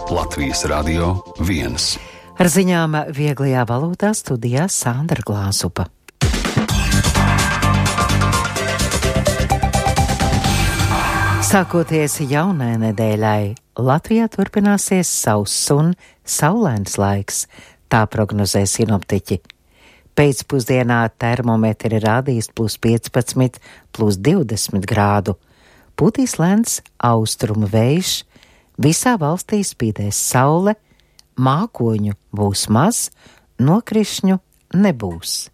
Latvijas Radio 1. Ar ziņām vieglajā valodā studijā Sandra Glāzupa. Sākoties jaunai nedēļai, Latvijā turpināsies sauss un saulains laiks, tā prognozē sinoptiķi. Pēcpusdienā termometri rādīs +15, +20 grādu. Pūtīs lēns austrumu vējš, visā valstī spīdēs saule, mākoņu būs maz, nokrišņu nebūs.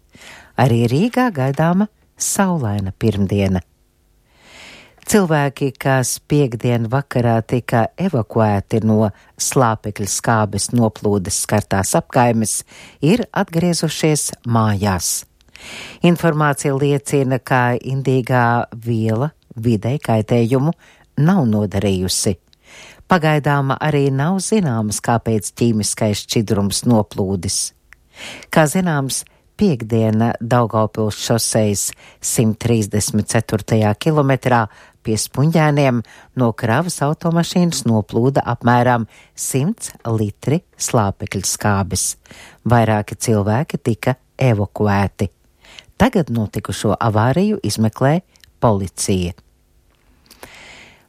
Arī Rīgā gaidāma saulaina pirmdiena. Cilvēki, kas piektdien vakarā tika evakuēti no slāpekļa skābes noplūdes skartās apkaimes, ir atgriezušies mājās. Informācija liecina, ka indīgā viela videi kaitējumu nav nodarījusi. Pagaidām arī nav zināms, kāpēc ķīmiskais šķidrums noplūdis. Kā zināms, piektdiena Daugavpils šosejas 134. kilometrā pie Spunģēniem no kravas automašīnas noplūda apmēram 100 litri slāpekļa skābes. Vairāki cilvēki tika evakuēti. Tagad notikušo avāriju izmeklē policija.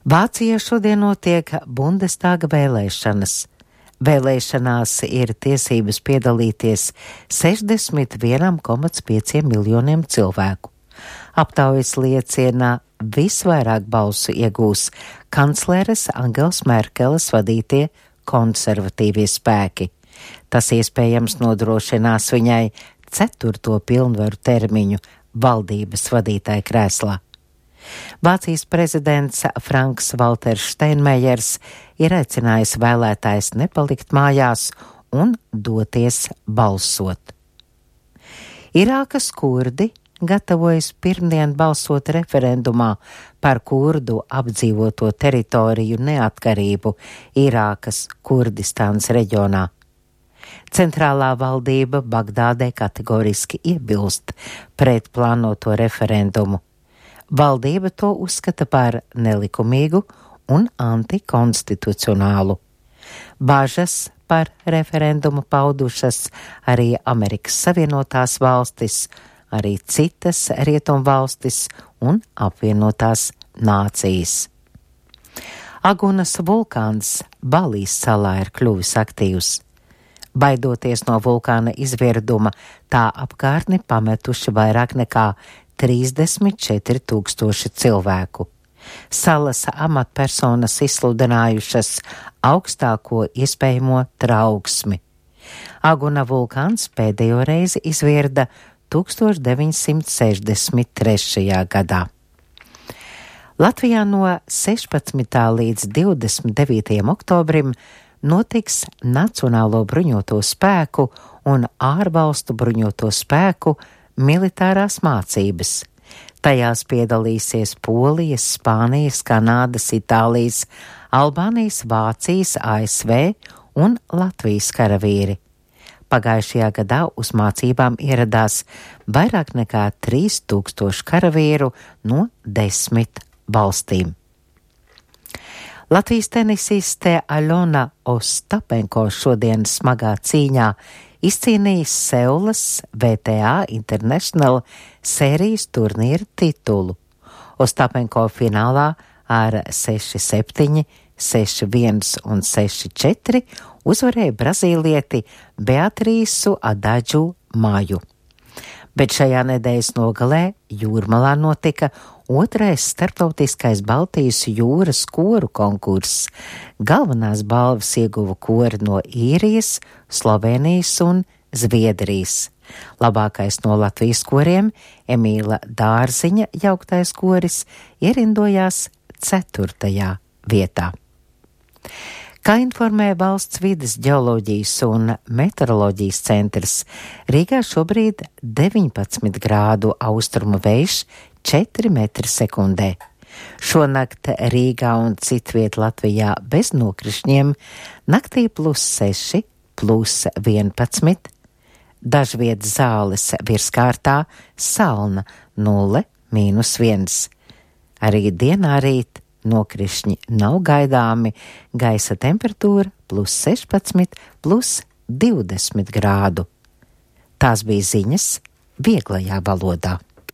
Vācijā šodien notiek Bundestāga vēlēšanas. Vēlēšanās ir tiesības piedalīties 61,5 miljoniem cilvēku. Aptaujas liecina, visvairāk balsu iegūs kancleres Angelas Merkeles vadītie konservatīvie spēki. Tas iespējams nodrošinās viņai 4. pilnvaru termiņu valdības vadītāja krēslā. Vācijas prezidents Franks Valters Steinmeiers ir aicinājis vēlētājs nepalikt mājās un doties balsot. Irākas kurdi gatavojas pirmdien balsot referendumā par kurdu apdzīvoto teritoriju neatkarību Irākas Kurdistānas reģionā. Centrālā valdība Bagdādē kategoriski iebilst pret plānoto referendumu. Valdība to uzskata par nelikumīgu un antikonstitucionālu. Bāžas par referendumu paudušas arī Amerikas Savienotās valstis, arī citas rietumvalstis un apvienotās nācijas. Agunas vulkāns Balijas salā ir kļuvis aktīvs. Baidoties no vulkāna izvirduma, tā apkārtni pametuši vairāk nekā 34,000 cilvēku. Salas amatpersonas izsludinājušas augstāko iespējamo trauksmi. Aguna vulkāns pēdējo reizi izvirda 1963. gadā. Latvijā no 16. līdz 29. oktobrim notiks Nacionālo bruņoto spēku un ārvalstu bruņoto spēku militārās mācības. Tajās piedalīsies Polijas, Spānijas, Kanādas, Itālijas, Albānijas, Vācijas, ASV un Latvijas karavīri. Pagājušajā gadā uz mācībām ieradās vairāk nekā 3000 karavīru no 10 valstīm. Latvijas tenisiste Aļona Ostapenko šodien smagā cīņā izcīnījis Seulas VTA International sērijas turnīra titulu. Ostapenko finālā ar 6-7, 6-1 un 6-4 uzvarēja brazīlieti Beatrīsu Adadžu Maju. Bet šajā nedēļas nogalē Jūrmalā notika 2. starptautiskais Baltijas jūras koru konkurss. Galvenās balvas ieguva kori no Īrijas, Slovenijas un Zviedrijas. Labākais no Latvijas koriem, Emīla Dārziņa jauktais koris, ierindojās 4. vietā. Kā informē Valsts vides ģeoloģijas un meteoroloģijas centrs, Rīgā šobrīd 19 grādu austrumu vējš 4 metri sekundē. Šonakt Rīgā un citviet Latvijā bez nokrišņiem, naktī +6, +11, dažviet Zāles virskārtā, Salna 0, -1. Arī dienā rīt nokrišņi nav gaidāmi, gaisa temperatūra +16, +20 grādu. Tās bija ziņas vieglajā valodā.